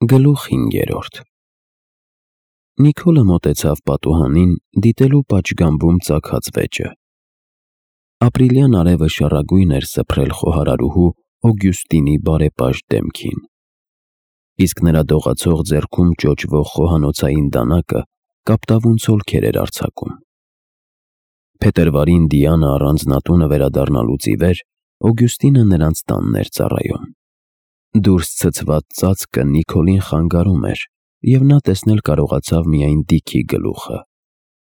Գլուխ 5 Նիկոլը մոտեցավ պատուհանին, դիտելու պատշգամբում ծագած վեճը։ Ապրիլյան արևը շառագույն էր սփռել խոհարարուհու Օգյուստինի բարեպաշտ դեմքին, իսկ նրա դողացող ձեռքում ճոճվող խոհանոցային դանակը կապտավուն ցոլքեր էր արձակում։ Փետրվարին Դիանը առանձնատունը վերադառնալուց ի վեր Օգյուստինը նրանց տանն էր ծառայում։ Դուրս ցցված ծածկը Նիկոլին խանգարում էր, և նա տեսնել կարողացավ միայն Դիքի գլուխը,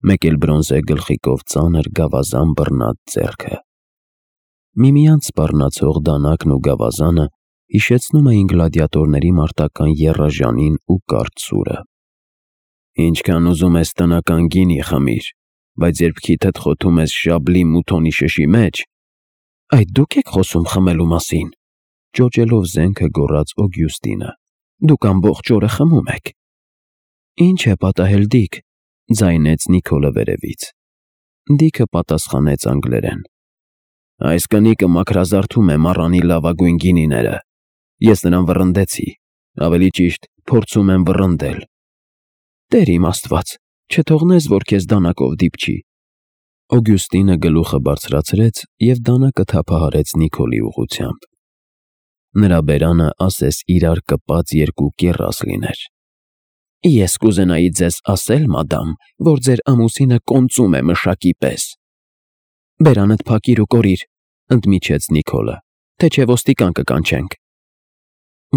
մեկ էլ բրոնզե գլխիկով ծանր գավազան բռնած ձեռքը։ Միմյանց սպառնացող դանակն ու գավազանը հիշեցնում էին գլադիատորների մարտական եռաժանին ու կարճ սուրը։ Ինչքան ուզում ես տնական գինի խմիր, բայց երբ քիթդ խոթում ես շաբլի մութոնի շշի մեջ… Այդ դուք եք խոսում խմելու մասին, ճոճելով զենքը գոռաց Օգյուստինը։ Դուք ամբողջ օրը խմում եք։ Ինչ է պատահել, Դիք, ձայնեց Նիկոլը վերևից։ Դիքը պատասխանեց անգլերեն. Այս կնիկը մաքրազարդում է մառանի լավագույն գինիները։ Ես նրան վռնդեցի, ավելի ճիշտ, փորձում եմ վռնդել։ Տեր իմ Աստված, չթողնես, որ քեզ դանակով դիպչի։ Օգյուստինը գլուխը բարձրացրեց և դանակը թափահարեց Նիկոլի ուղղությամբ։ Նրա բերանը ասես իրար կպած երկու կեռաս լիներ։ Ես կուզենայի ձեզ ասել, մադամ, որ ձեր ամուսինը կոնծում է մշակի պես։ Բերանդ փակիր ու կորիր, ընդմիջեց Նիկոլը, թե չէ ոստիկան կկանչենք։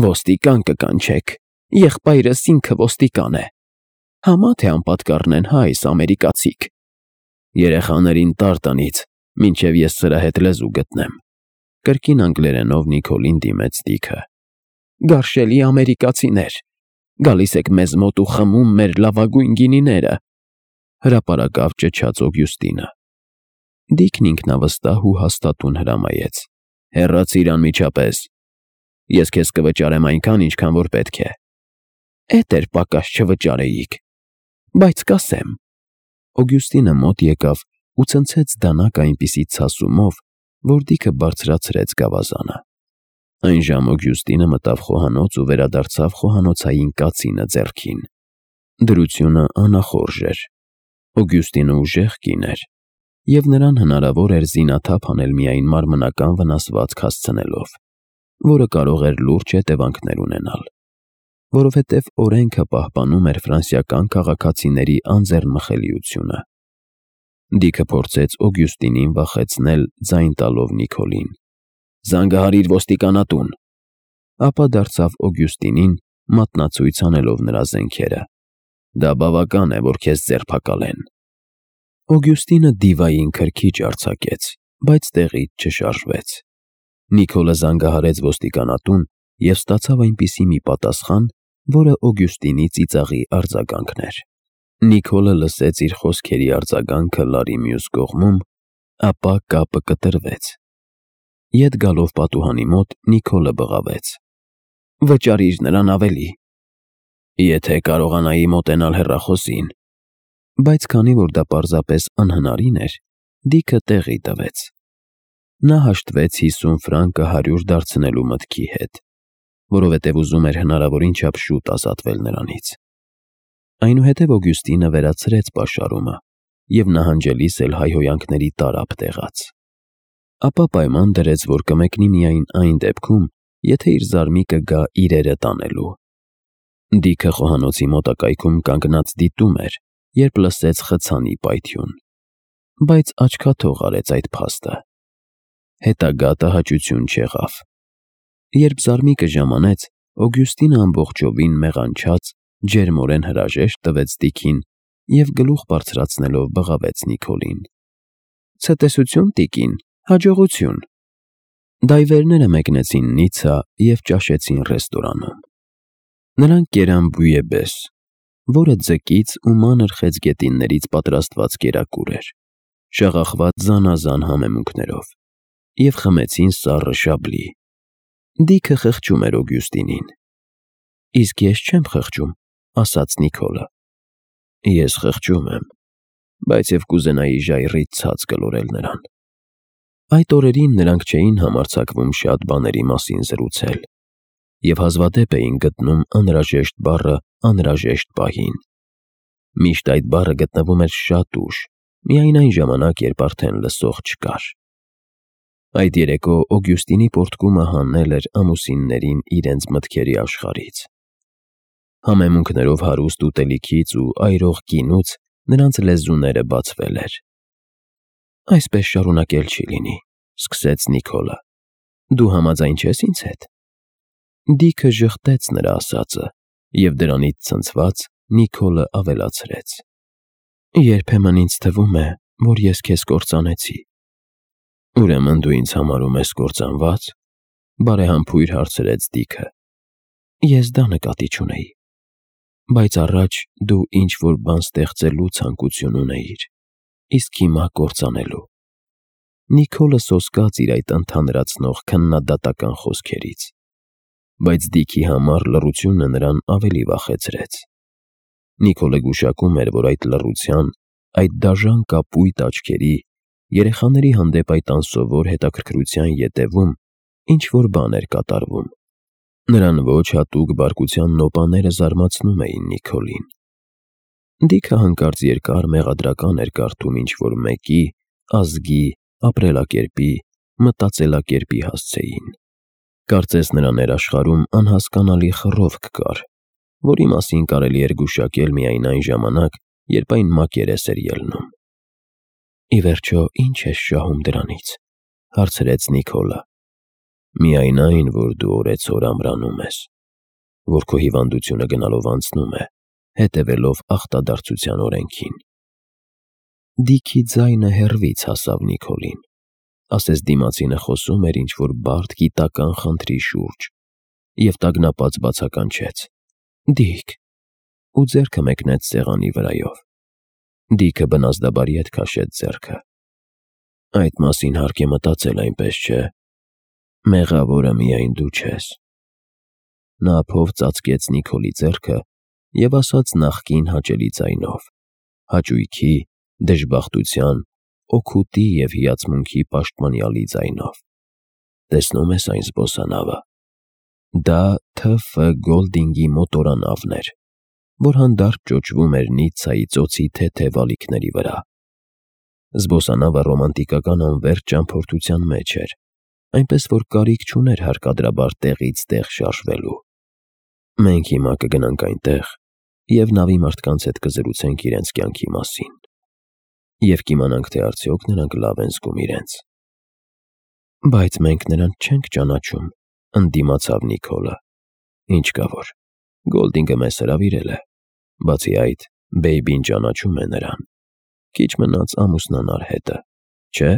Ոստիկան կկանչեք, եղբայրս ինքը ոստիկան է։ Համա թե անպատկառն են, հա, այս ամերիկացիք։ Երեխաներին տար տնից, մինչև ես սրա հետ լեզու գտնեմ։ Կրկին անգլերենով Նիկոլին դիմեց Դիքը։ Գարշելի ամերիկացիներ, գալիս եք մեզ մոտ ու խմում մեր լավագույն գինիները, հրապարակավ ճչաց Օգյուստինը։ Դիքն ինքնավստահ ու հաստատուն հրամայեց. Հեռացիր անմիջապես։ Ես քեզ կվճարեմ այնքան, ինչքան որ պետք է։ Էդ էր պակաս չվճարեիք։ Բայց կասեմ։ Օգյուստինը մոտ եկավ ու ցնցեց դանակը այնպիսի ցասումով, որ Դիքը բարձրացրեց գավազանը։ Այն ժամ Օգյուստինը մտավ խոհանոց ու վերադարձավ խոհանոցային կացինը ձեռքին։ Դրությունը անախորժ էր։ Օգյուստինը ուժեղ կին էր, և նրան հնարավոր էր զինաթափ անել միայն մարմնական վնասվածք հասցնելով, որը կարող էր լուրջ հետևանքներ ունենալ, որովհետև օրենքը պահպանում էր ֆրանսիական քաղաքացիների անձեռնմխելիությունը։ Դիքը փորձեց Օգյուստինին վախեցնել ձայն տալով Նիկոլին. Զանգահարիր ոստիկանատուն։ Ապա դարձավ Օգյուստինին, մատնացույց անելով նրա զենքերը. Դա բավական է, որ քեզ ձերբակալեն։ Օգյուստինը դիվային քրքիջ արձակեց, բայց տեղից չշարժվեց։ Նիկոլը զանգահարեց ոստիկանատուն և ստացավ այնպիսի մի պատասխան, որը Օգյուստինի ծիծաղի արձագանքն էր։ Նիկոլը լսեց իր խոսքերի արձագանքը լարի մյուս կողմում, ապա կապը կտրվեց։ Ետ գալով պատուհանի մոտ Նիկոլը բղավեց. Վճարիր նրան ավելի։ Եթե կարողանայի մոտենալ հեռախոսին։ Բայց քանի որ դա պարզապես անհնարին էր, Դիքը տեղի տվեց։ Նա հաշտվեց 50 ֆրանկը 100 դարձնելու մտքի հետ, որովհետև ուզում էր հնարավորին չափ շուտ ազատվել նրանից։ Այնուհետև Օգյուստինը վերացրեց պաշարումը և նահանջելիս էլ հայհոյանքների տարափ տեղաց։ Ապա պայման դրեց, որ կմեկնի միայն այն դեպքում, եթե իր զարմիկը գա իրերը տանելու։ Դիքը խոհանոցի մոտակայքում կանգնած դիտում էր, երբ լսեց խցանի պայթյուն, բայց աչքաթող արեց այդ փաստը։ Հետագա տհաճություն չեղավ։ Երբ զարմիկը ժամանեց, Օգյուստինը ամբողջովին մեղանչած ջերմորեն հրաժեշտ տվեց Դիքին և գլուխ բարձրացնելով բղավեց Նիկոլին. Ցտեսություն, տիկին, հաջողություն։ Դայվերները մեկնեցին Նիցա և ճաշեցին ռեստորանում։ Նրանք կերան բույեբես, որը ձկից ու մանր խեցգետիններից պատրաստված կերակուր էր, շաղախված զանազան համեմունքներով, և խմեցին սառը շաբլի։ Դիքը խղճում էր Օգյուստինին։ Իսկ ես չեմ խղճում, ասաց Նիկոլը։ Ես խղճում եմ, բայց և կուզենայի ժայռից ցած կլորել նրան։ Այդ օրերին նրանք չէին համարձակվում շատ բաների մասին զրուցել, և հազվադեպ էին գտնում անհրաժեշտ բառը անհրաժեշտ պահին։ Միշտ այդ բառը գտնվում էր շատ ուշ, միայն այն ժամանակ, երբ արդեն լսող չկար։ Այդ երեկո Օգյուստինի պոռթկումը հանել էր ամուսիններին իրենց մտքերի աշխարհից։ Համեմունքներով հարուստ ուտելիքից ու այրող գինուց նրանց լեզուները բացվել էր։ «Այսպես շարունակել չի լինի», ֊ սկսեց Նիկոլը։ «Դու համաձայն չես ինձ հետ»։ Դիքը ժխտեց նրա ասածը, և դրանից ցնցված Նիկոլը ավելացրեց. «Երբեմն ինձ թվում է, որ ես քեզ կործանեցի»։ «Ուրեմն դու ինձ համարում ես կործանված», ֊ բարեհամբույր հարցրեց Դիքը։ «Ես դա նկատի չունեի, բայց առաջ դու ինչ-որ բան ստեղծելու ցանկություն ունեիր, իսկ հիմա կործանելու»։ Նիկոլը սոսկաց իր այդ ընդհանրացնող քննադատական խոսքերից, բայց Դիքի համար լռությունը նրան ավելի վախեցրեց։ Նիկոլը գուշակում էր, որ այդ լռության, այդ դաժան կապույտ աչքերի, երեխաների հանդեպ այդ անսովոր հետաքրքրության ետևում ինչ-որ բան էր կատարվում։ Նրան ոչ հատուկ բարկության նոպաները զարմացնում էին Նիկոլին։ Դիքը հանկարծ երկար մեղադրական էր կարդում ինչ-որ մեկի, ազգի, ապրելակերպի, մտածելակերպի հասցեին։ Կարծես նրա ներաշխարհում անհասկանալի խռովք կար, որի մասին կարելի էր գուշակել միայն այն ժամանակ, երբ այն մակերես էր ելնում։ «Ի վերջո, ի՞նչ ես շահում դրանից», ֊ հարցրեց Նիկոլը։ «Միայն այն, որ դու օրեցօր ամրանում ես, որ քո հիվանդությունը գնալով անցնում է, հետևելով ախտադարձության օրենքին»։ Դիքի ձայնը հեռվից հասավ Նիկոլին, ասես դիմացինը խոսում էր ինչ-որ բարդ գիտական խնդրի շուրջ, և տագնապած բացականչեց. «Դիք», ու ձեռքը մեկնեց սեղանի վրայով։ Դիքը բնազդաբար ետ քաշեց ձեռքը։ «Այդ մասին հարկ է մտածել, այնպես չէ։ Մեղավորը միայն դու չես»։ Նա ափով ծածկեց Նիկոլի ձեռքը և ասաց նախկին հաճելի ձայնով, հաճույքի, դժբախտության, օգուտի և հիացմունքի պաշտոնյալի ձայնով. «Տեսնում ես այն զբոսանավը։ Դա Თ.Ֆ. Գոլդինգի մոտորանավն էր, որ հանդարտ ճոճվում էր Նիցցայի ծոցի թեթև ալիքների վրա։ Զբոսանավը ռոմանտիկական անվերջ ճամփորդության մեջ էր, այնպես որ կարիք չուներ հարկադրաբար տեղից տեղ շարժվելու։ Մենք հիմա կգնանք այնտեղ և նավի մարդկանց հետ կզրուցենք իրենց կյանքի մասին, և կիմանանք, թե արդյոք նրանք լավ են զգում իրենց»։ «Բայց մենք նրանց չենք ճանաչում», ֊ ընդդիմացավ Նիկոլը։ «Ինչ կա որ, Գոլդինգը մեզ հրավիրել է։ Բացի այդ, Բեյբին ճանաչում է նրան։ Քիչ մնաց ամուսնանար հետը, չէ՞»։